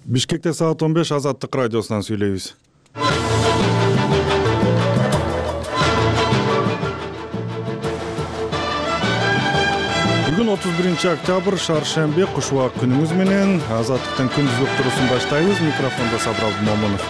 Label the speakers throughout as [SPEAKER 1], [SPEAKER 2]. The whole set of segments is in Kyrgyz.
[SPEAKER 1] Бишкекте саат 15 Азаттык радиосунан сүйлөйбүз. Бүгүн 31-октябрь шаршембе, куш убак күнүңүз менен Азаттыктын күндүзүк турусун баштайбыз. Микрофондо Сабыр Абдумомунов.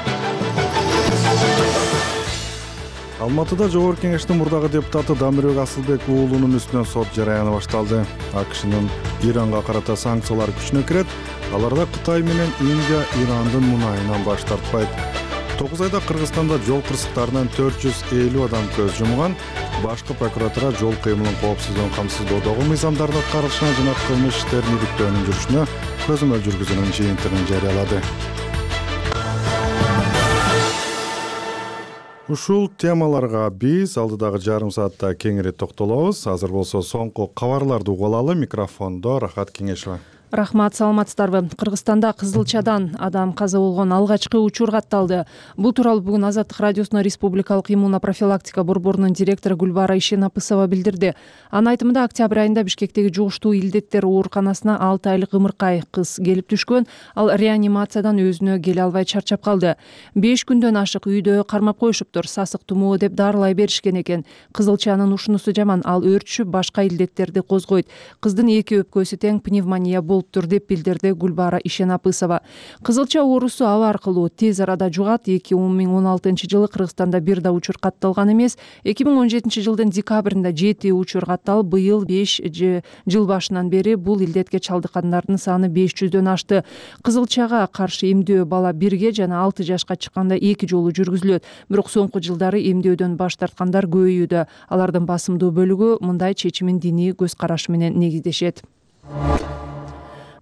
[SPEAKER 1] Алматыда Жогорку Кеңештин мурдагы депутаты Дамирбек Асылбек уулунун үстүнөн сот жараяны башталды. АКШнын Иранга карата санкциялары күчүнө кирет. Аларда Кытай менен Индия Ирандын мунайынан баш тартпайт. 9 айда Кыргызстанда жол кырсыктарынан 450 адам көз жумган. Башкы прокуратура жол кыймылын коопсуздугун камсыздоодогу мыйзамдардын аткарылышына жана кылмыш иштерин иликтөөнүн жүрүшүнө көзөмөл жүргүзүүнүн жыйынтыгын жарыялады. Ушул темаларга биз алдыдагы жарым саатта кеңири токтолобуз. Азыр болсо соңку кабарларды угуп алалы. Микрофондо Рахат Кеңешова.
[SPEAKER 2] Рахмат, саламатсыздарбы. Кыргызстанда кызылчадан адам каза болгон алгачкы учур катталды. Бул тууралуу бүгүн Азаттык радиосуна Республикалык иммунопрофилактика борборунун директору Гүлбара Ишенапысова билдирди. Анын айтымында октябрь айында Бишкектеги жугуштуу илдеттер ооруканасына 6 айлык ымыркай кыз келип түшкөн. Ал реанимациядан өзүнө келе албай чарчап калды. 5 күндөн ашык үйдө кармап коюшуптур. Сасык тумоо деп дарылай беришкен экен. Кызылчанын ушунусу жаман, ал өөрчүп башка илдеттерди козгойт. Кыздын 2 өпкөсү тең пневмония болуптур деп билдирди Гүлбара Ишенапысова. Кызылча оорусу аба аркылуу тез арада жугат. 2016-жылы Кыргызстанда бир да учур катталган эмес. 2017-жылдын декабрында 7 учур катталып, быйыл 5 жыл башынан бери бул илдетке чалдыккандардын саны 500дөн ашты. Кызылчага каршы эмдөө бала 1 жана 6 жашка чыкканда 2 жолу жүргүзүлөт. Бирок соңку жылдары эмдөөдөн баш тарткандар көбөйүүдө. Алардын басымдуу бөлүгү мындай чечимин диний көз карашы менен негиздешет.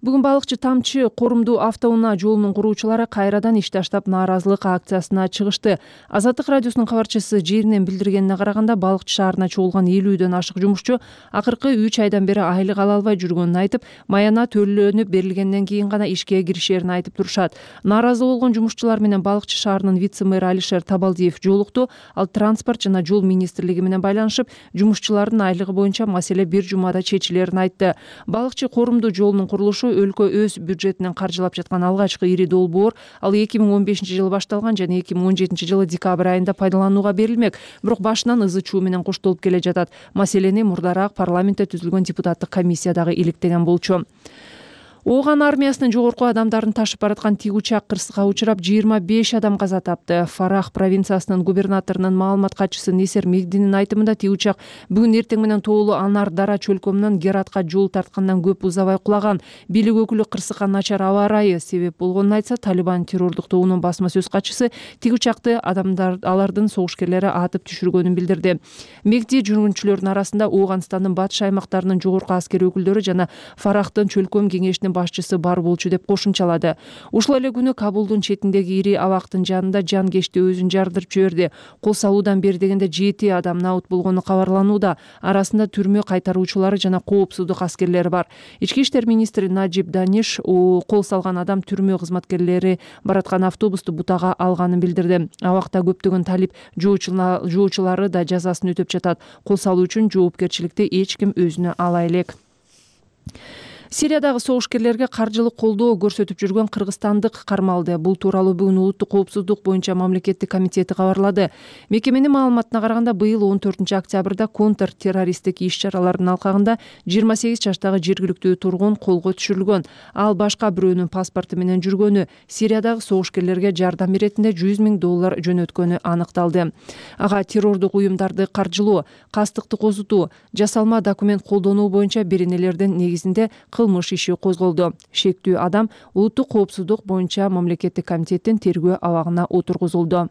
[SPEAKER 2] Бүгүн балыкчы Тамчы Корумду автоунаа жолунун куруучулары кайрадан иш таштап нааразылык акциясына чыгышты. Азаттык радиосунун кабарчысы жеринен билдиргенине караганда, балыкчы шаарына чогулган 50дөн ашык жумушчу акыркы 3 айдан бери айлык ала албай жүргөнүн айтып, маяна төлөнүп берилгенден кийин гана ишке киришерин айтып турушат. Нааразы болгон жумушчулар менен балыкчы шаарынын вице-мэры Алишер Табалдиев жолукту. Ал транспорт жана жол министрлиги менен байланышып, жумушчулардын айлыгы боюнча маселе бир жумада чечилерин айтты. Балыкчы Корумду жолунун курулушу өлкө өз бюджетинен каржылап жаткан алгачкы ири долбоор. Ал 2015-жылы башталган жана 2017-жылы декабрь айында пайдаланууга берилмек. Бирок башынан ызы чуу менен коштолуп келе жатат. Маселени мурдараак парламентте түзүлгөн депутаттык комиссия дагы иликтеген болчу. Ооган армиясынын жогорку адамдарын ташып бараткан тик учак кырсыкка учурап 25 адам каза тапты. Фарах провинциясынын губернаторунун маалымат катчысы Несер Мегдинин айтымында, тик учак бүгүн эртең менен тоолуу Анар Дара чөлкөмүнөн Гератка жол тарткандан көп узабай кулаган. Бийлик өкүлү кырсыкка начар аба ырайы себеп болгонун айтса, Талибан террордук тобунун басма сөз катчысы тик учакты алардын согушкерлери атып түшүргөнүн билдирди. Мегди жүргүнчүлөрдүн арасында Ооганстандын батыш аймактарынын жогорку аскер өкүлдөрү жана Фарахтын чөлкөм кеңешинин башчысы бар болчу деп кошумчалады. Ушул эле күнү Кабулдун четиндеги ири абактын жанында жан кечти өзүн жардырып жиберди. Кол салуудан бери дегенде 7 адам наут болгону кабарланууда. Арасында түрмө кайтаруучулары жана коопсуздук аскерлери бар. Ички иштер министри Наджиб Даниш кол салган адам түрмө кызматкерлери бараткан автобусту бутага алганын билдирди. Абакта көптөгөн талип жоочулары да жазасын өтөп жатат. Кол салуу үчүн жоопкерчиликти эч ким өзүнө ала элек. Сириядагы согушкерлерге каржылык колдоо көрсөтүп жүргөн кыргызстандык кармалды. Бул тууралуу бүгүн Улуттук коопсуздук боюнча мамлекеттик комитети кабарлады. Мекеменин маалыматына караганда, быйыл 14-октябрда контр террористтик иш-чаралардын алкагында 28 жаштагы жергиликтүү тургун колго түшүрүлгөн. Ал башка бирөөнүн паспорту менен жүргөнү, Сириядагы согушкерлерге жардам иретинде $100,000 жөнөткөнү аныкталды. Ага террордук уюмдарды каржылоо, кастыкты козутуу, жасалма документ колдонуу боюнча беренелердин негизинде кылмыш иши козголду. Шектүү адам Улуттук коопсуздук боюнча мамлекеттик комитеттин тергөө абагына отургузулду.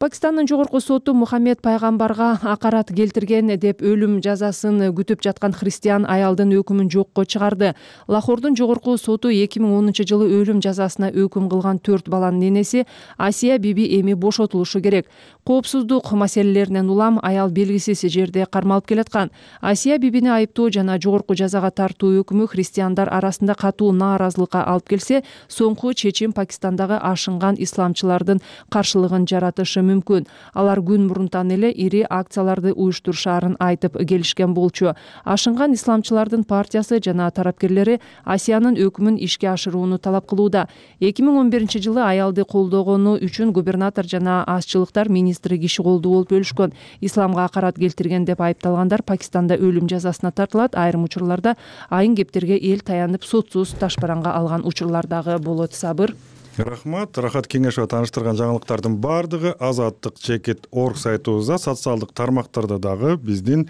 [SPEAKER 2] Пакистандын жогорку соту Мухаммед пайгамбарга акарат келтирген деп өлүм жазасын күтүп жаткан христиан аялдын өкүмүн жокко чыгарды. Лахордун жогорку соту 2010-жылы өлүм жазасына өкүм кылган 4 баланын энеси Асия биби эми бошотулушу керек. Коопсуздук маселелеринен улам аял белгисиз жерде кармалып келаткан. Асия бибини айыптоо жана жогорку жазага тартуу өкүмү христиандар арасында катуу нааразылыкка алып келсе, соңку чечим Пакистандагы ашынган исламчылардын каршылыгын жаратышы мүмкүн. Алар күн мурунтан эле ири акцияларды уюштурушаарын айтып келишкен болчу. Ашынган исламчылардын партиясы жана тарапкерлери Асиянын өкүмүн ишке ашырууну талап кылууда. 2011-жылы аялды колдогону үчүн губернатор жана азчылыктар министри киши колдуу болуп өлүшкөн. Исламга акарат келтирген деп айыпталгандар Пакистанда өлүм жазасына тартылат. Айрым учурларда айын кептерге эл таянып сотсуз ташбаранга алган учурлар дагы болот. Сабыр.
[SPEAKER 1] Рахмат. Рахат Кеңешова тааныштырган жаңылыктардын баардыгы azadtik.org сайтыбызда, социалдык тармактарда дагы биздин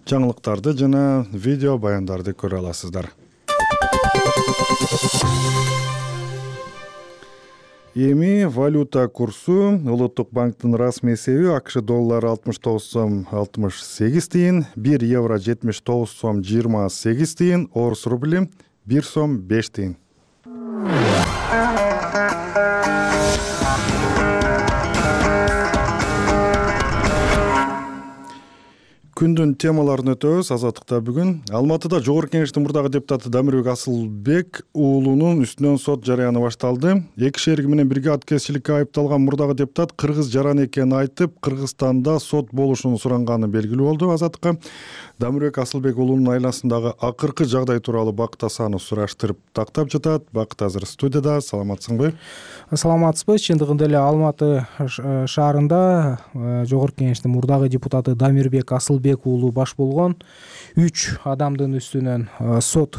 [SPEAKER 1] жаңылыктарды жана видео баяндарды көрө аласыздар. Эми валюта курсу Улуттук банктын расмий эсеби АКШ доллары 69 сом 68 тыйын, 1 евро 79 сом 28 тыйын, орус рубли 1 сом 5 тыйын. Күндүн темаларын өтөбүз. Азаттыкта бүгүн Алматыда Жогорку Кеңештин мурдагы депутаты Дамирбек Асылбек уулунун үстүнөн сот жарыяны башталды. Эки шериги менен бирге аткезчиликке айыпталган мурдагы депутат кыргыз жаран экенин айтып, Кыргызстанда сот болушун суранганы белгилүү болду. Азаттыкка Дамирбек Асылбек уулунун айланасындагы акыркы жагдай тууралуу Бакыт Асанов сураштырып тактап жатат. Бакыт азыр студияда. Саламатсыңбы?
[SPEAKER 3] Саламатсызбы. Чындыгында эле Алматы шаарында Жогорку Кеңештин мурдагы депутаты Дамирбек Асылбек уулу баш болгон 3 адамдын үстүнөн сот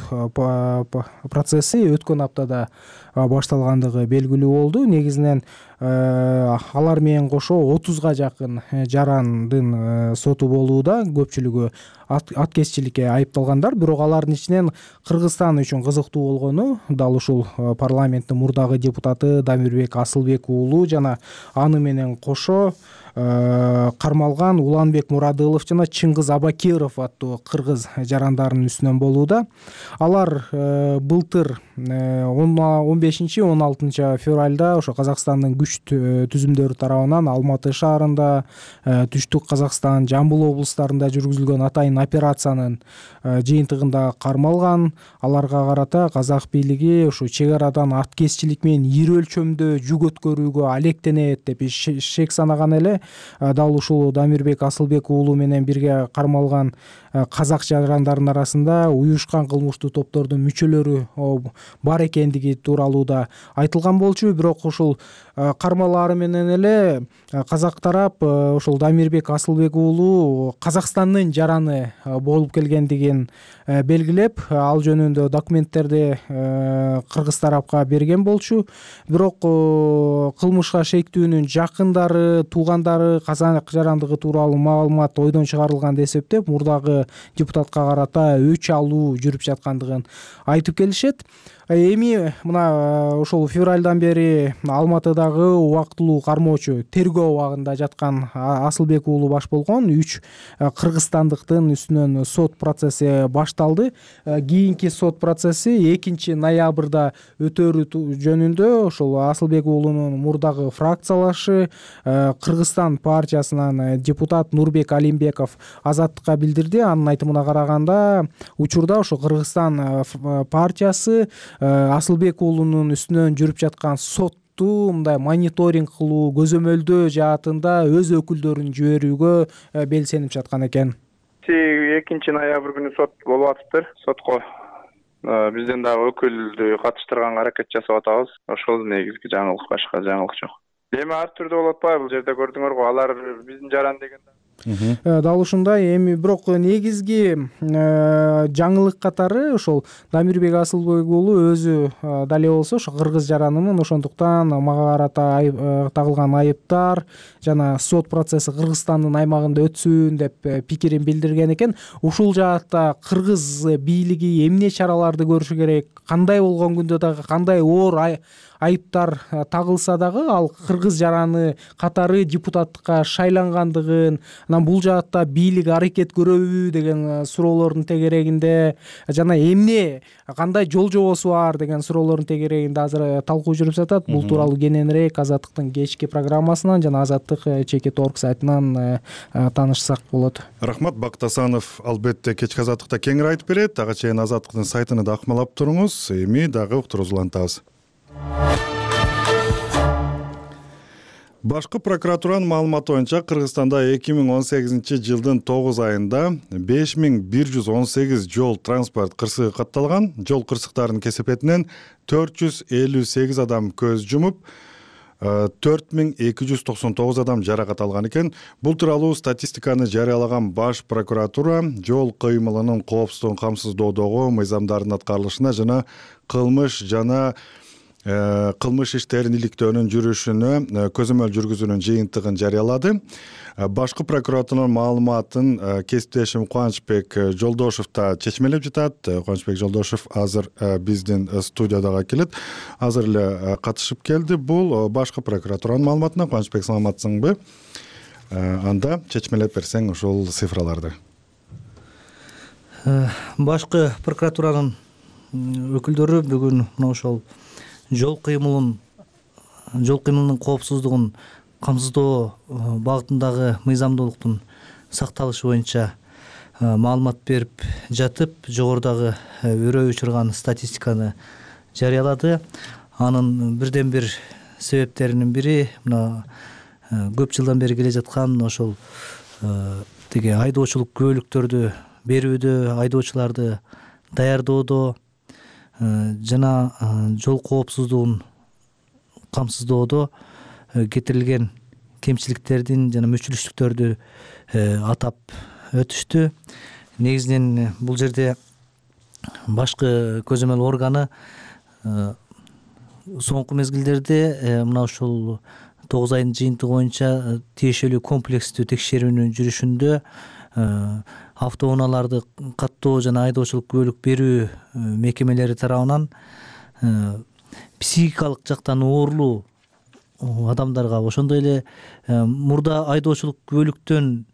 [SPEAKER 3] процесси өткөн аптада башталгандыгы белгилүү болду. Негизинен алар менен кошо 30га жакын жарандын соту болууда. Көпчүлүгү аткезчиликке айыпталгандар, бирок алардын ичинен Кыргызстан үчүн кызыктуу болгону дал ушул парламенттин мурдагы депутаты Дамирбек Асылбек уулу жана аны менен кошо кармалган Уланбек Мурадылов жана Чыңгыз Абакиров аттуу кыргыз жарандарынын үстүнөн болууда. Алар былтыр 15-16 февралда ошо Казакстандын күч түзүмдөрү тарабынан Алматы шаарында, Түштүк Казакстан, Жамбыл облустарында жүргүзүлгөн атайын операциянын жыйынтыгында кармалган. Аларга карата казак бийлиги ушу чек арадан аткезчилик менен ири өлчөмдө жүк өткөрүүгө алектенет деп шек санаган эле. Дал ушул Дамирбек Асылбек уулу менен бирге кармалган казак жарандарынын арасында уюшкан кылмыштуу топтордун мүчөлөрү бар экендиги тууралуу да айтылган болчу. Бирок ушул кармалаары менен эле казак тарап ушул Дамирбек Асылбек уулу Казакстандын жараны болуп келгендигин белгилеп, ал жөнүндө документтерди кыргыз тарапка берген болчу. Бирок кылмышка шектүүнүн жакындары, туугандары казак жарандыгы тууралуу маалымат ойдон чыгарылган деп эсептеп, мурдагы депутатка карата өч алуу жүрүп жаткандыгын айтып келишет. Эми мына ошол февралдан бери Алматыдагы убактылуу кармоочу тергөө абагында жаткан Асылбек уулу баш болгон 3 кыргызстандыктын үстүнөн сот процесси башталды. Кийинки сот процесси 2 ноябрда өтөрү жөнүндө ошол Асылбек уулунун мурдагы фракциялашы Кыргызстан партиясынан депутат Нурбек Алимбеков Азаттыкка билдирди. Анын айтымына караганда, учурда ошо Кыргызстан партиясы Асылбек уулунун үстүнөн жүрүп жаткан сотту мындай мониторинг кылуу, көзөмөлдөө жаатында өз өкүлдөрүн жиберүүгө белсенип жаткан экен.
[SPEAKER 4] 2 ноябрь күнү сот болуп атыптыр. Сотко бизден дагы өкүлдү катыштырганга аракет жасап атабыз. Ошол негизги жаңылык, башка жаңылык жок. Эми ар түрдүү болуп атпайбы? Бул жерде көрдүңөргү, алар биздин жаран деген
[SPEAKER 3] Дал ушундай. Эми бирок негизги жаңылык катары ошол Дамирбек Асылбек уулу өзү дале болсо ошо кыргыз жаранымын, ошондуктан мага карата тагылган айыптар жана сот процесси Кыргызстандын аймагында өтсүн деп пикирин билдирген экен. Ушул жаатта кыргыз бийлиги эмне чараларды көрүшү керек? Кандай болгон күндө дагы, кандай оор айыптар тагылса дагы, ал кыргыз жараны катары депутаттыкка шайлангандыгын, анан бул жаатта бийлик аракет көрөбү деген суроолордун тегерегинде жана эмне, кандай жол жобосу бар деген суроолордун тегерегинде азыр талкуу жүрүп жатат. Бул тууралуу кененирээк Азаттыктын кечки программасынан жана azadtik.org сайтынан таанышсак болот.
[SPEAKER 1] Рахмат. Бакыт Асанов албетте кечки Азаттыкта кеңири айтып берет. Ага чейин Азаттыктын сайтыны да акмалап туруңуз. Эми дагы уктурууну улантабыз. Башкы прокуратуранын маалыматы боюнча Кыргызстанда 2018-жылдын 9 айында 5118 жол транспорт кырсыгы катталган. Жол кырсыктарынын кесепетинен 458 адам көз жумуп, 4299 адам жаракат алган экен. Бул тууралуу статистиканы жарыялаган Баш прокуратура жол кыймылынын коопсуздугун камсыздоодогу мыйзамдардын аткарылышына жана кылмыш иштерин иликтөөнүн жүрүшүнө көзөмөл жүргүзүүнүн жыйынтыгын жарыялады. Башкы прокуратуранын маалыматын кесиптешим Кубанычбек Жолдошев да чечмелеп жатат. Кубанычбек Жолдошев азыр биздин студиядага келет. Азыр эле катышып келди. Бул башкы прокуратуранын маалыматына. Кубанычбек, саламатсыңбы? Анда чечмелеп берсең ушул цифраларды.
[SPEAKER 5] Башкы прокуратуранын өкүлдөрү бүгүн мына ошол жол кыймылынын коопсуздугун камсыздоо багытындагы мыйзамдуулуктун сакталышы боюнча маалымат берип жатып, жогорудагы өрөө учурган статистиканы жарыялады. Анын бирден бир себептеринин бири мына көп жылдан бери келе жаткан ошол тиги айдоочулук күбөлүктөрдү берүүдө, айдоочуларды даярдоодо жана жол коопсуздугун камсыздоодо кетирилген кемчиликтердин жана мүчүлүштүктөрдү атап өтүштү. Негизинен бул жерде башкы көзөмөл органы соңку мезгилдерде мына ушул 9 айдын жыйынтыгы боюнча тиешелүү комплекстүү текшерүүнүн жүрүшүндө автоунааларды каттоо жана айдоочулук күбөлүк берүү мекемелери тарабынан психикалык жактан оорулуу адамдарга, ошондой эле мурда айдоочулук күбөлүктөн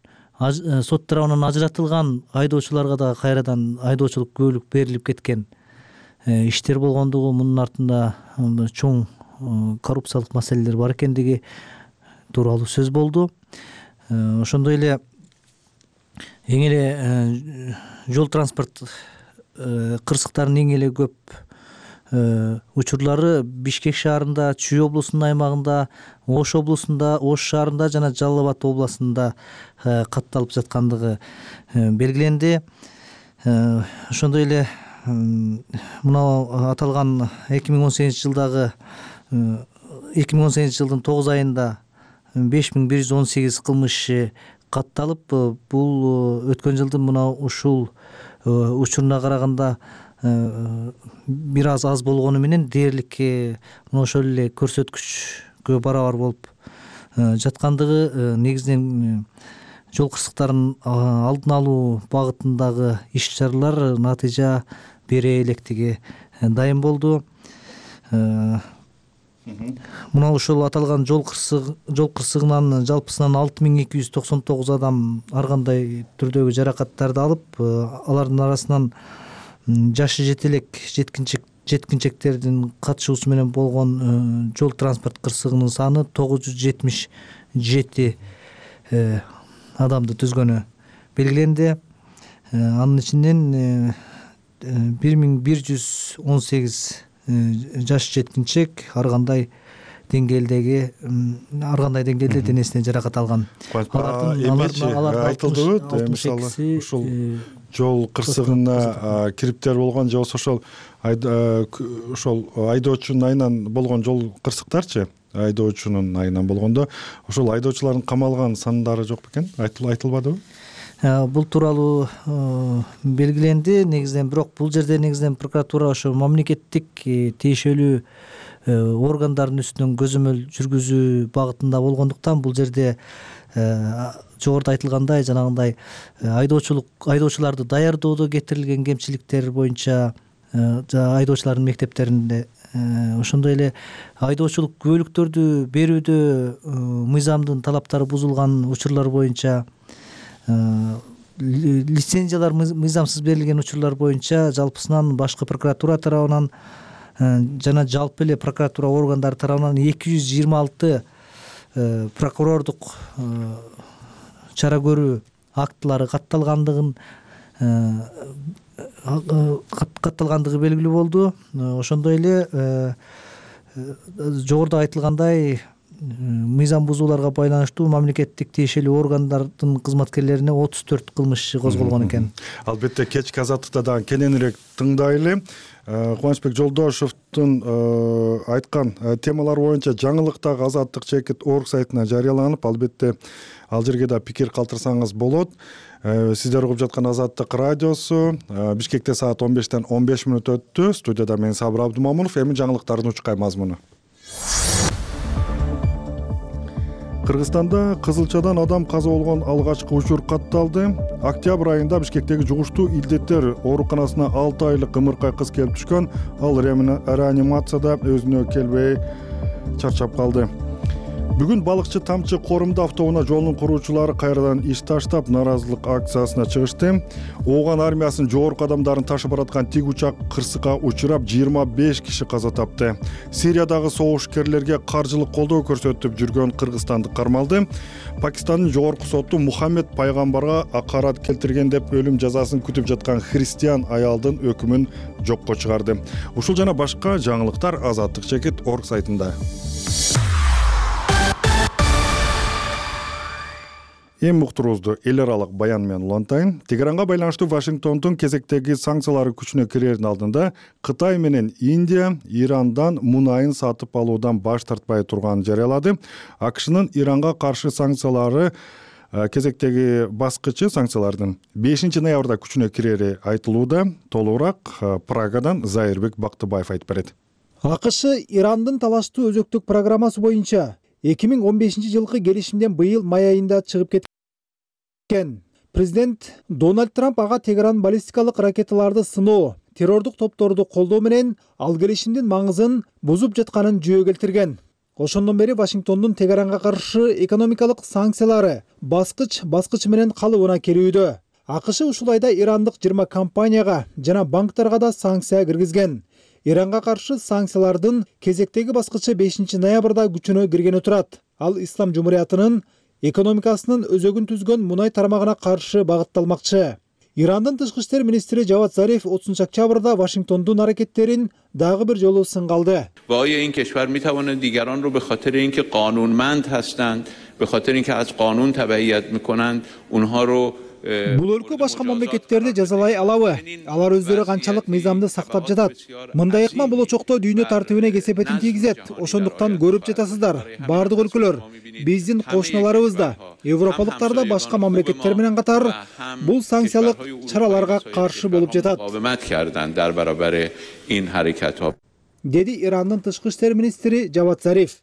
[SPEAKER 5] сот тарабынан ажыратылган айдоочуларга да кайрадан айдоочулук күбөлүк берилип кеткен иштер болгондугу, мунун артында чоң коррупциялык маселелер бар экендиги тууралуу сөз болду. Ошондой эле эң эле жол транспорт кырсыктарынын эң эле көп учурлары Бишкек шаарында, Чүй облусунун аймагында, Ош облусунда, Ош шаарында жана Жалал Абад областында катталып жаткандыгы белгиленди. Ошондой эле мына аталган 2018-жылдын 9 айында 5118 кылмыш катталып, бул өткөн жылдын мына ушул учуруна караганда бир аз болгону менен дээрлик мына ошол эле көрсөткүчкө барабар болуп жаткандыгы, негизинен жол кырсыктарын алдын алуу багытындагы иш-чаралар натыйжа бере электиги дайым болду. Мына ушул аталган жол кырсыгынан жалпысынан 6299 адам ар кандай түрдөгү жаракаттарды алып, алардын арасынан жашы жете элек жеткинчектердин катышуусу менен болгон жол транспорт кырсыгынын саны 977 адамды түзгөнү белгиленди. Анын ичинен 1118 жаш жеткинчек ар кандай деңгээлде денесине жаракат алган.
[SPEAKER 1] Айтылдыбы, мисалы ушул жол кырсыгына кириптер болгон же болбосо ошол айдоочунун айынан болгон жол кырсыктарчы, айдоочунун айынан болгондо ошол айдоочулардын камалган сандары жок бекен? Айтылбадыбы?
[SPEAKER 5] Бул тууралуу белгиленди негизинен, бирок бул жерде негизинен прокуратура ошо мамлекеттик тиешелүү органдардын үстүнөн көзөмөл жүргүзүү багытында болгондуктан бул жерде жогоруда айтылгандай жанагындай айдоочуларды даярдоодо кетирилген кемчиликтер боюнча айдоочулардын мектептеринде, ошондой эле айдоочулук күбөлүктөрдү берүүдө мыйзамдын талаптары бузулган учурлар боюнча, лицензиялар мыйзамсыз берилген учурлар боюнча жалпысынан башкы прокуратура тарабынан жана жалпы эле прокуратура органдары тарабынан 226 прокурордук чара көрүү актылары катталгандыгы белгилүү болду. Ошондой эле жогоруда айтылгандай мыйзам бузууларга байланыштуу мамлекеттик тиешелүү органдардын кызматкерлерине 34 кылмыш иши козголгон экен.
[SPEAKER 1] Албетте кечки азаттыкта дагы кененирээк тыңдайлы. Кубанычбек Жолдошевдун айткан темалар боюнча жаңылык дагы Азаттык чекит орг сайтына жарыяланып, албетте ал жерге да пикир калтырсаңыз болот. Сиздер угуп жаткан Азаттык радиосу. Бишкекте саат 15-тен 15 мүнөт өттү. Студияда мен Сабыр Абдумамунов. Эми жаңылыктардын учкай мазмуну. Кыргызстанда кызылчадан адам каза болгон алгачкы учур катталды. Октябрь айында Бишкектеги жугуштуу илдеттер ооруканасына 6 айлык ымыркай кыз келип түшкөн. Ал реанимацияда өзүнө келбей чарчап калды. Бүгүн балыкчы Тамчы Корумда автоунаа жолунун куруучулары кайрадан иш таштап, нааразылык акциясына чыгышты. Ооган армиясынын жогорку адамдарын ташып бараткан тик учак кырсыкка учурап 25 киши каза тапты. Сириядагы согушкерлерге каржылык колдоо көрсөтүп жүргөн кыргызстандык кармалды. Пакистандын жогорку соту Мухаммед пайгамбарга акарат келтирген деп өлүм жазасын күтүп жаткан христиан аялдын өкүмүн жокко чыгарды. Ушул жана башка жаңылыктар Азаттык чекит орг сайтында. Эми уктуруубузду эл аралык баян менен улантайын. Тегеранга байланыштуу Вашингтондун кезектеги санкциялары күчүнө кирердин алдында Кытай менен Индия Ирандан мунайын сатып алуудан баш тартпай турганын жарыялады. АКШнын Иранга каршы санкциялары кезектеги баскычы санкциялардын 5 ноябрда күчүнө кирери айтылууда. Толугураак Прагадан Зайырбек Бактыбаев айтып берет.
[SPEAKER 6] АКШ Ирандын талаштуу өзөктүк программасы боюнча 2015 жылкы келишимден быйыл май айында чыгып кеткен. Президент Дональд Трамп ага Тегеран баллистикалык ракеталарды сыноо, террордук топторду колдоо менен ал келишимдин маңызын бузуп жатканын жөө келтирген. Ошондон бери Вашингтондун Тегеранга каршы экономикалык санкциялары баскыч менен калыбына келүүдө. АКШ ушул айда ирандык 20 компанияга жана банктарга да санкция киргизген. Иранга каршы санкциялардын кезектеги баскычы 5 ноябрда күчүнө киргени турат. Ал Ислам Жумуриятынын экономикасынын өзөгүн түзгөн мунай тармагына каршы багытталмакчы. Ирандын тышкы иштер министри Жавад Зариф 30 октябрда Вашингтондун аракеттерин дагы бир жолу сынгалды.
[SPEAKER 7] آیا این کشور میتواند دیگران رو به خاطر اینکه قانونمند هستند، به خاطر اینکه از قانون تبعیت میکنند، اونها رو
[SPEAKER 6] Бул өлкө башка мамлекеттерди жазалай алабы? Алар өздөрү канчалык мыйзамды сактап жатат? Мындай ыкма болочокто дүйнө тартибине кесепетин тийгизет. Ошондуктан көрүп жатасыздар. Бардык өлкөлөр, биздин кошуналарыбыз да, европалыктар да башка мамлекеттер менен катар бул санкциялык чараларга каршы болуп жатат. Деди Ирандын тышкы иштер министри Жавад Зариф.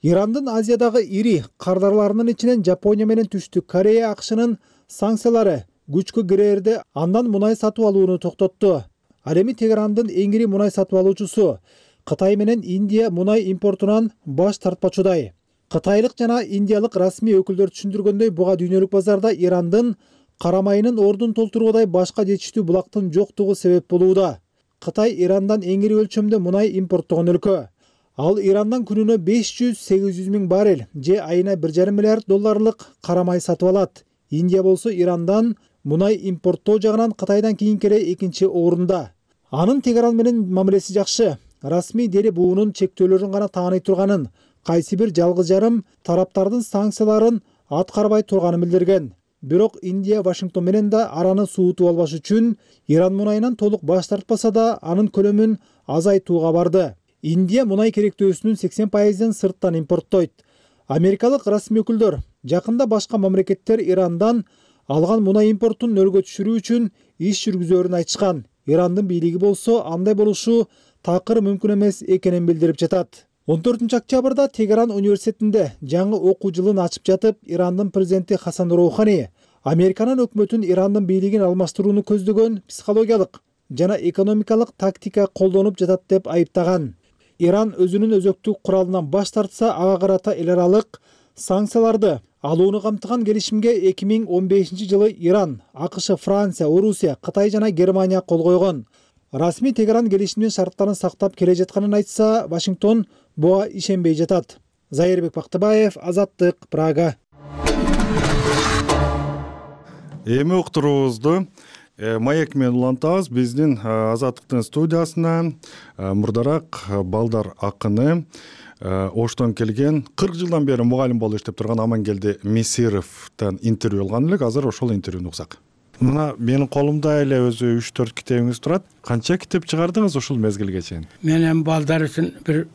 [SPEAKER 6] Ирандын Азиядагы ири кардарларынын ичинен Жапония менен Түштүк Корея АКШнын санкциялары күчкө кирерде андан мунай сатып алууну токтотту. Ал эми Тегерандын эң ири мунай сатып алуучусу Кытай менен Индия мунай импортунан баш тартпачудай. Кытайлык жана индиялык расмий өкүлдөр түшүндүргөндөй, буга дүйнөлүк базарда Ирандын карамайынын ордун толтуруудай башка жетиштүү булактын жоктугу себеп болууда. Кытай Ирандан эң ири өлчөмдө мунай импорттогон өлкө. Ал Ирандан күнүнө 500-800 миң баррель же айына 1,5 миллиард долларлык карамай сатып алат. Индия болсо Ирандан мунай импорттоо жагынан Кытайдан кийинки эле экинчи орунда. Анын Тегеран менен мамилеси жакшы. Расмий дери буунун чектөөлөрүн гана тааный турганын, кайсы бир жалгыз жарым тараптардын санкцияларын аткарбай турганын билдирген. Бирок Индия Вашингтон менен да араны суутуп албаш үчүн Иран мунайынан толук баш тартпаса да анын көлөмүн азайтууга барды. Индия мунай керектөөсүнүн 80%ын сырттан импорттойт. Америкалык расмий өкүлдөр жакында башка мамлекеттер Ирандан алган мунай импортун нөлгө түшүрүү үчүн иш жүргүзөрүн айтышкан. Ирандын бийлиги болсо андай болушу такыр мүмкүн эмес экенин билдирип жатат. 14 октябрда Тегеран университетинде жаңы окуу жылын ачып жатып, Ирандын президенти Хасан Роухани Американын өкмөтүн Ирандын бийлигин алмаштырууну көздөгөн психологиялык жана экономикалык тактика колдонуп жатат деп айыптаган. Иран өзүнүн өзөктүк куралынан баш тартса, ага карата эл аралык санкцияларды алууну камтыган келишимге 2015 жылы Иран, АКШ, Франция, Орусия, Кытай жана Германия кол койгон. Расмий Тегеран келишимдин шарттарын сактап келе жатканын айтса, Вашингтон буга ишенбей жатат. Зайырбек Бактыбаев, Азаттык, Прага.
[SPEAKER 1] Эми уктуруубузду маек менен улантабыз. Биздин Азаттыктын студиясына мурдараак балдар акыны Оштон келген 40 жылдан бери мугалим болуп иштеп турган Амангелди Мисировдон интервью алган элек. Азыр ошол интервьюну уксак. Мына менин колумда эле өзү 3-4 китебиңиз турат. Канча китеп чыгардыңыз ушул мезгилге чейин?
[SPEAKER 8] Мен эми балдар үчүн бир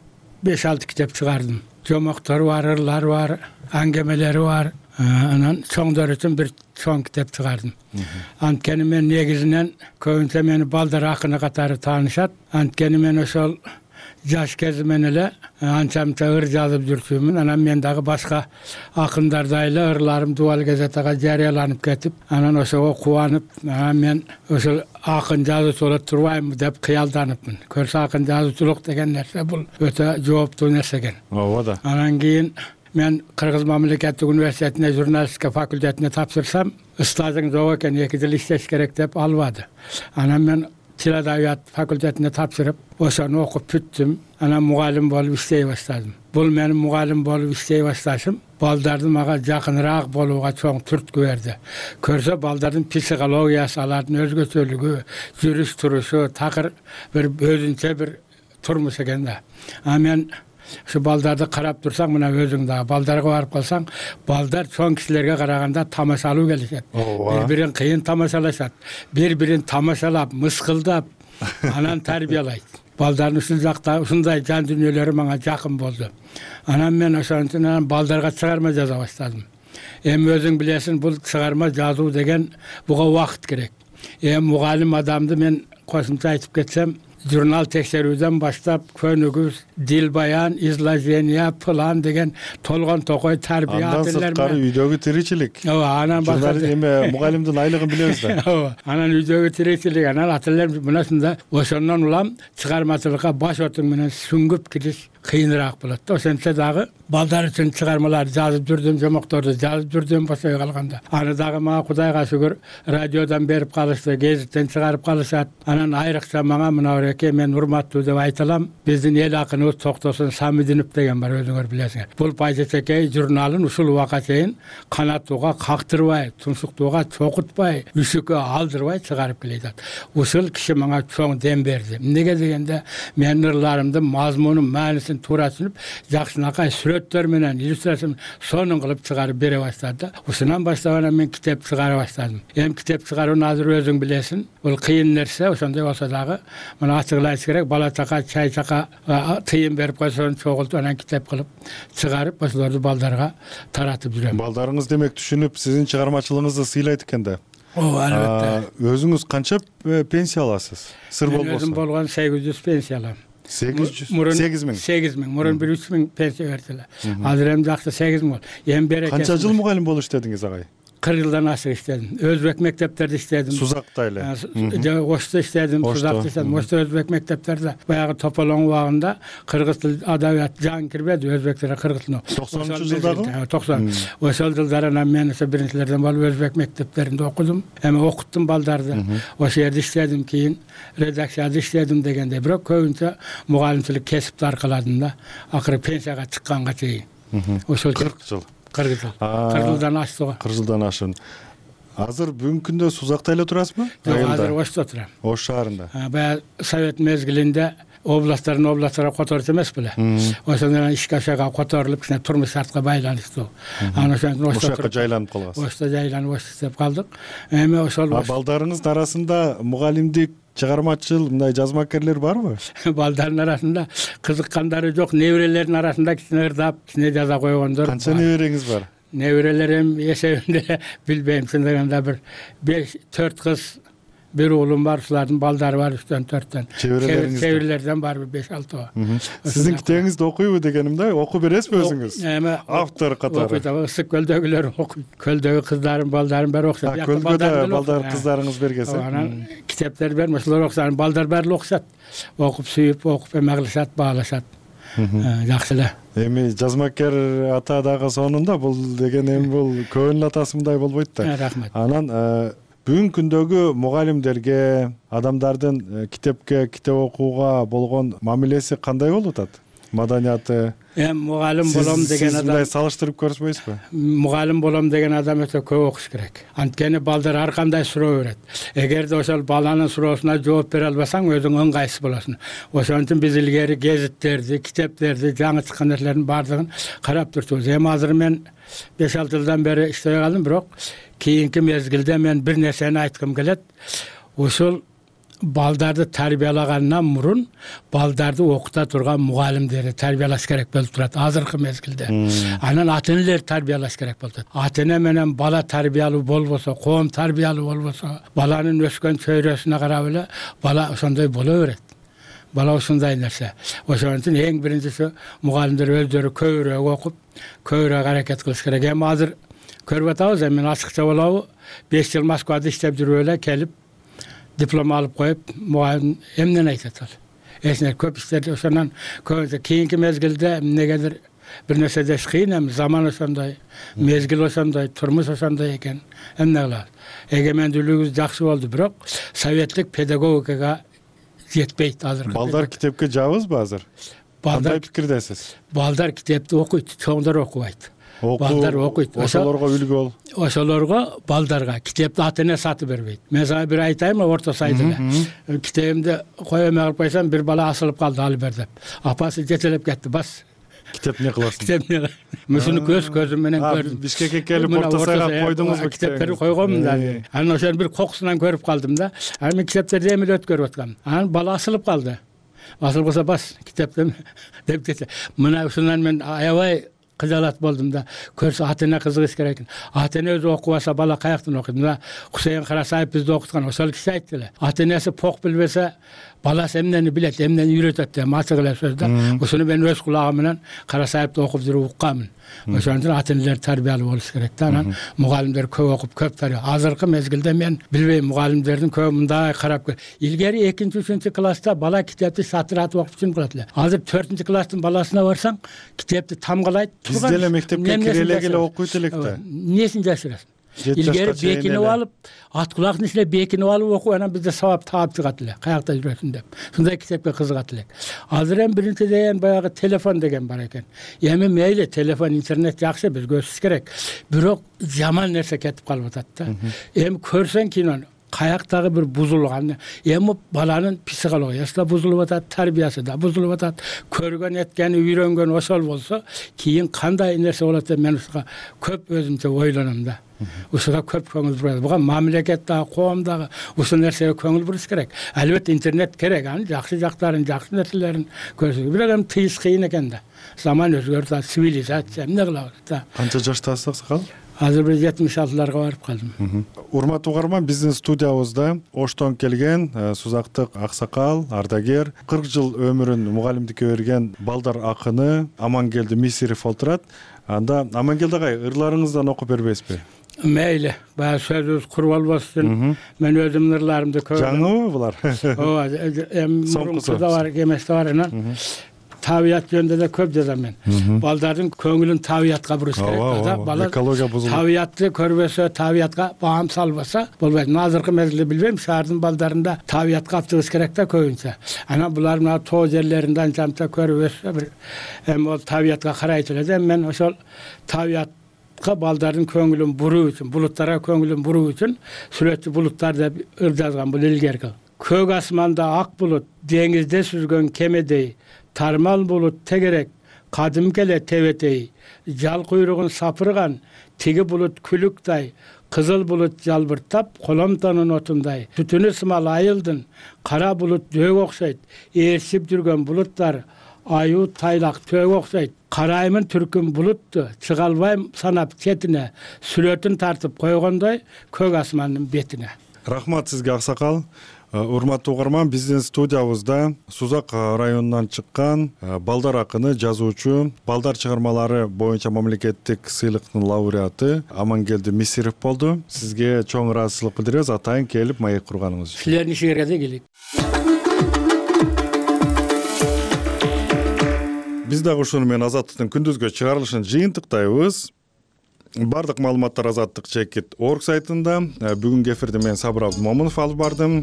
[SPEAKER 8] 5-6 китеп чыгардым. Жомоктор бар, ырлар бар, аңгемелери бар. Анан чоңдор үчүн бир чоң китеп чыгардым. Анткени мен негизинен көбүнчө мени балдар акыны катары таанышат. Анткени мен ошол жаш кезимен эле анча-мынча ыр жазып жүрчүмүн. Анан мен дагы башка акындардай эле ырларым Дубал газетага жарыяланып кетип, анан ошого кубанып, мен ошол акын жазуучу боло турбаймынбы деп кыялданыпмын. Көрсө акын жазуучулук деген нерсе бул өтө жооптуу нерсе экен.
[SPEAKER 1] Ооба да.
[SPEAKER 8] Анан кийин мен Кыргыз мамлекеттик университетине журналистика факультетине тапшырсам, стажың жок экен, 2 жыл иштеш керек деп албады. Анан мен тил адабият факультетине тапшырып, ошону окуп бүттүм. Анан мугалим болуп иштей баштадым. Бул менин мугалим болуп иштей башташым балдардын мага жакыныраак болууга чоң түрткү берди. Көрсө балдардын психологиясы, алардын өзгөчөлүгү, жүрүш турушу такыр бир өзүнчө бир турмуш экен да. Мен ушу балдарды карап турсаң, мына өзүң дагы балдарга барып калсаң, балдар чоң кишилерге караганда тамашалуу келишет. Бири-бирин кыйын тамашалашат. Бири-бирин тамашалап, мыскылдап, анан тарбиялайт. Балдардын ушул жакта ушундай жан дүйнөлөрү мага жакын болду. Анан мен ошончун балдарга чыгарма жаза баштадым. Эми өзүң билесиң, бул чыгарма жазуу деген буга убакыт керек. Мугалим адамды мен кошумча айтып кетсем, журнал текшерүүдөн баштап көнүгүш, дил баян, изложение, план деген толгон токой тарбия
[SPEAKER 1] ателер. Андан сырткары үйдөгү тиричилик.
[SPEAKER 8] Анан
[SPEAKER 1] мугалимдин айлыгын билебиз да.
[SPEAKER 8] Анан үйдөгү тиричилик, анан ателер мына ушундай. Ошондон улам чыгармачылыкка баш отуң менен сүңгүп кириш кыйыныраак болот да. Ошентсе дагы балдар үчүн чыгармалар жазып жүрдүм, жомокторду жазып жүрдүм бошой калганда. Аны дагы мага Кудайга шүгүр радиодон берип калышты, гезиттен чыгарып калышат. Анан айрыкча мага мына мен урматтуу деп айта алам. Биздин эл акыныбыз Токтосун Самидинов деген бар, өзүңөр билесиңер. Бул Пайжечекей журналын ушул убакка чейин канаттууга кактырбай, туншуктууга чокутпай, үшүккө алдырбай чыгарып келет. Ушул киши мага чоң дем берди. Эмнеге дегенде, менин ырларымдын мазмунун, маанисин туура түшүнүп, жакшынакай сүрөттөр менен, иллюстрация сонун кылып чыгарып бере баштады. Ушунан баштап анан мен китеп чыгара баштадым. Китеп чыгарууну азыр өзүң билесиң, бул кыйын нерсе. Ошондой болсо дагы мына ачыгылайт керек, бала чака, чай чака тыйын берип койсоң чогултуп анан китеп кылып чыгарып ошолорду балдарга таратып жүрөм.
[SPEAKER 1] Балдарыңыз демек түшүнүп, сиздин чыгармачылыгыңызды сыйлайт экен да.
[SPEAKER 8] Ооба, албетте.
[SPEAKER 1] Өзүңүз канча пенсия аласыз? Сыр болбосо.
[SPEAKER 8] Өзүм болгон 800 пенсия алам.
[SPEAKER 1] 800?
[SPEAKER 8] 8 миң. Мурун 3 пенсия берчиле. Азыр эми жакшы 8 миң болду. Берекеси.
[SPEAKER 1] Канча жыл мугалим болуп иштедиңиз агай?
[SPEAKER 8] 40 жылдан ашык иштедим. Өзбек мектептерде иштедим.
[SPEAKER 1] Сузакта эле.
[SPEAKER 8] Ошто иштедим, Сузакта иштедим. Ошто өзбек мектептерде баягы тополоң убагында кыргыз тил адабият жан кирбеди, өзбектер кыргыз тилин.
[SPEAKER 1] 90-жылдагы?
[SPEAKER 8] 90. Ошол жылдары мен ошо биринчилерден болуп өзбек мектептеринде окудум. Эми окуттум балдарды. Ошол жерде иштедим, кийин редакцияда иштедим дегенде, бирок көбүнчө мугалимчилик кесипти аркаладым да. Акыры пенсияга чыкканга чейин. Ошол
[SPEAKER 1] 40 жыл.
[SPEAKER 8] 40 жыл. 40 жылдан ашты.
[SPEAKER 1] 40 жылдан ашын. Азыр бүгүнкү күндө Сузакта эле турасызбы?
[SPEAKER 8] Жок, азыр Ошто турам.
[SPEAKER 1] Ош шаарында.
[SPEAKER 8] Баягы Совет мезгилинде областтарга которчу эмес беле. Ошондон ишке ашага которулуп, кичине турмуш шартка байланыштуу. Анан ошондон
[SPEAKER 1] Ошто жайланып калгансыз.
[SPEAKER 8] Ошто жайланып иштеп калдык. Эми ошол
[SPEAKER 1] балдарыңыздын арасында мугалимдик, чыгармачыл, мындай жазмакерлер барбы?
[SPEAKER 8] Балдардын арасында кызыккандары жок, неберелердин арасында кичине ырдап, кичине жаза койгондор.
[SPEAKER 1] Канча небереңиз бар?
[SPEAKER 8] Неберелерим эсебинде билбейм, чындыгында бир 5-4 кыз, бир уулум бар, ушулардын балдары бар 3-4төн. Чеберлерден барбы 5-6.
[SPEAKER 1] Сиздин китебиңизди окуйбу дегеним да, окуп бересизби өзүңүз? Автор катары.
[SPEAKER 8] Ысык көлдөгүлөр окуйт. Көлдөгү кыздарым, балдарым баары окушат.
[SPEAKER 1] Көлдөгүдө балдар кыздарыңыз бергенсиз.
[SPEAKER 8] Анан китептер берме, ошолор окушат, балдар баары окушат. Окуп сүйүп, окуп эме кылышат, баалашат. Жакшы эле.
[SPEAKER 1] Эми жазмакер ата дагы сонунда, бул деген эми бул көңүл атасындай болбойт да.
[SPEAKER 8] Рахмат.
[SPEAKER 1] Анан бүгүнкү күндөгү мугалимдерге, адамдардын китеп окууга болгон мамилеси кандай болуп атат? Маданияты
[SPEAKER 8] Эми мугалим болом деген
[SPEAKER 1] Сиз
[SPEAKER 8] адам,
[SPEAKER 1] мындай салыштырып көрүшпөйсүзбү?
[SPEAKER 8] мугалим болом деген адам өтө көп окуш керек. Анткени балдар ар кандай суроо берет. Эгерде ошол баланын суроосуна жооп бере албасаң, өзүң ыңгайсыз болосуң. Ошон үчүн биз илгери гезиттерди, китептерди, жаңы чыккан нерселердин баардыгын карап турчубуз. Эми азыр мен 5-6 жылдан бери иштей калдым, бирок кийинки мезгилде мен бир нерсени айткым келет. Ошол балдарды тарбиялагандан мурун балдарды окута турган мугалимдерди тарбиялаш керек болуп турат азыркы мезгилде. Анан ата-энелер тарбиялаш керек болуп турат. Ата-эне менен бала тарбиялуу болбосо, коом тарбиялуу болбосо, баланын өскөн чөйрөсүнө карап эле бала ошондой боло берет. Бала ушундай нерсе. Ошон үчүн эң биринчиси мугалимдер өздөрү көбүрөөк окуп, көбүрөөк аракет кылыш керек. Эми азыр көрүп атабыз, мен ачыкча болобу, 5 жыл Москвада иштеп жүрүп эле келип диплом алып коюп, мугалим эмнени айтат ал? Эсине көп иштерди ошондон көбүнчө кийинки мезгилде эмнегедир бир нерсе деш кыйын, эми заман ошондой, мезгил ошондой, турмуш ошондой экен. Эмне кылабыз? Эгемендүүлүгүбүз жакшы болду, бирок советтик педагогикага жетпейт азыр.
[SPEAKER 1] Балдар китепке жабызбы азыр? Кандай пикирдесиз?
[SPEAKER 8] Балдар китепти окуйт, чоңдор окубайт. Балдар окуйт.
[SPEAKER 1] Ошолорго үлгү бол.
[SPEAKER 8] Ошолорго, балдарга китепти ата-эне сатып бербейт. Мен сага бир айтайынбы, орто сайда эле. Китебимди кое эмне кылып койсом, бир бала асылып калды, алып бер деп. Апасы жетелеп кетти, бас.
[SPEAKER 1] Китеп эмне кыласың?
[SPEAKER 8] Китеп эмне? Мушуну көзүм менен көрдүм.
[SPEAKER 1] Бишкекке келип орто сайга койдуңузбу?
[SPEAKER 8] Китептерди койгонмун да. Анан ошону бир кокусунан көрүп калдым да. Анан мен китептерди эми өткөрүп аткам. Анан бала асылып калды. Асылып калса бас китепти деп кетти. Мына ушундан мен аябай кыжалат болдум да. Көрсө ата-эне кызыгыш керек экен. Ата-эне өзү окубаса бала каяктан окуйт? Мына Хусейин Карасаев бизди окуткан, ошол киши айтты эле. Ата-энеси пок билбесе, баласы эмнени билет, эмнени үйрөтөт деп ачык эле сөз да. Ушуну мен өз кулагым менен Карасаевди окуп жүрүп укканмын. Ошон үчүн ата-энелер тарбиялуу болуш керек да. Анан мугалимдер көп окуп, көп тарбия. Азыркы мезгилде мен билбейм, мугалимдердин көп мындай карап көр. Илгери 2-3 класста бала китепти сатыратып окуп чын кылат эле. Азыр 4 класстын баласына барсаң, китепти тамгалайт.
[SPEAKER 1] Биз деле мектепке кире эле окуйт элек да.
[SPEAKER 8] Эмнесин жашырасың? Илгери бекинип алып, ат кулактын ичине бекинип алып окуп, анан бизде сабап таап чыгат эле. Каякта жүрөсүң деп. Шундай китепке кызыгат элек. Азыр эми биринчиден баягы телефон деген бар экен. Эми мейли телефон, интернет жакшы, бизге өсүш керек. Бирок жаман нерсе кетип калып атат да. Эми көрсөң кинону, каяктагы бир бузулган, эми баланын психологиясы да бузулуп атат, тарбиясы да бузулуп атат. Көргөн, эткени, үйрөнгөн ошол болсо, кийин кандай нерсе болот деп мен ушуга көп өзүмчө ойлоном да. Ушуга көп көңүл бурат. Буга мамлекеттеги, коомдагы ушул нерсеге көңүл буруш керек. Албетте интернет керек, анын жакшы жактарын, жакшы нерселерин көрсөтүп. Бирок эми тыйыш кыйын экен да. Заман өзгөрүп, цивилизация эмне кылабыз да.
[SPEAKER 1] Канча жаштасыз аксакал?
[SPEAKER 8] Азыр бир 76-ларга барып калдым.
[SPEAKER 1] Урматтуу угарман, биздин студиябызда Оштон келген Сузактык аксакал, ардагер, 40 жыл өмүрүн мугалимдикке берген балдар акыны Амангелди Мисиров отурат. Анда Амангелди агай, ырларыңыздан окуп бербейсизби?
[SPEAKER 8] Мейли, баягы сөзүбүз куруп албаш үчүн мен өзүмдүн ырларымды көрдүм.
[SPEAKER 1] Жаңыбы булар?
[SPEAKER 8] Ооба, мурункуда бар, эместе бар анан. Табият жөнүндө да көп жазам мен. Балдардын көңүлүн табиятка буруш керек да. Бала
[SPEAKER 1] экология бузулат.
[SPEAKER 8] Табиятты көрбөсө, табиятка баам салбаса болбойт. Азыркы мезгилде билбейм, шаардын балдарында табиятка алып чыгыш керек да көбүнчө. Анан булар мына тоо жерлеринде анча көрүп өссө бир эми ол табиятка карайт эле. Мен ошол табиятка балдардын көңүлүн буруу үчүн, булуттарга көңүлүн буруу үчүн сүрөтчү булуттар деп ыр жазган, бул илгерки. Көк асманда ак булут, деңизде сүзгөн кемедей, тармал булут тегерек, кадимки эле тебетей, жал куйругун сапырган, тиги булут күлүктай, кызыл булут жалбыртап, коломтонун отундай, түтүнү сымал айылдын, кара булут дөөгө окшойт, ээрчип жүргөн булуттар, аю тайлак төөгө окшойт, караймын түркүм булутту, чыга албайм санап четине, сүрөтүн тартып койгондой, көк асмандын бетине.
[SPEAKER 1] Рахмат сизге аксакал. Урматтуу угарман, биздин студиябызда Сузак районунан чыккан балдар акыны, жазуучу, балдар чыгармалары боюнча мамлекеттик сыйлыктын лауреаты Амангелди Мисиров болду. Сизге чоң ыраазычылык билдиребиз, атайын келип маек курганыңыз үчүн.
[SPEAKER 8] Силердин ишиңерге да келейик.
[SPEAKER 1] Биз дагы ушуну менен Азаттыктын күндүзгө чыгарылышын жыйынтыктайбыз. Бардык маалыматтар Азаттык чекит орг сайтында. Бүгүнкү эфирди мен Сабыр Абдымомунов алып бардым.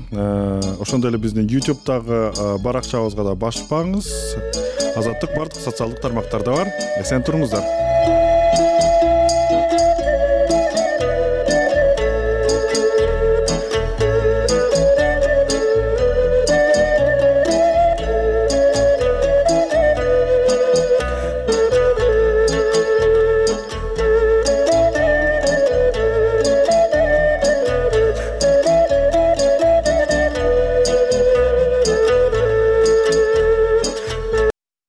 [SPEAKER 1] Ошондой эле биздин YouTube'дагы баракчабызга да басып багыңыз. Азаттык бардык социалдык тармактарда бар. Эсен туруңуздар.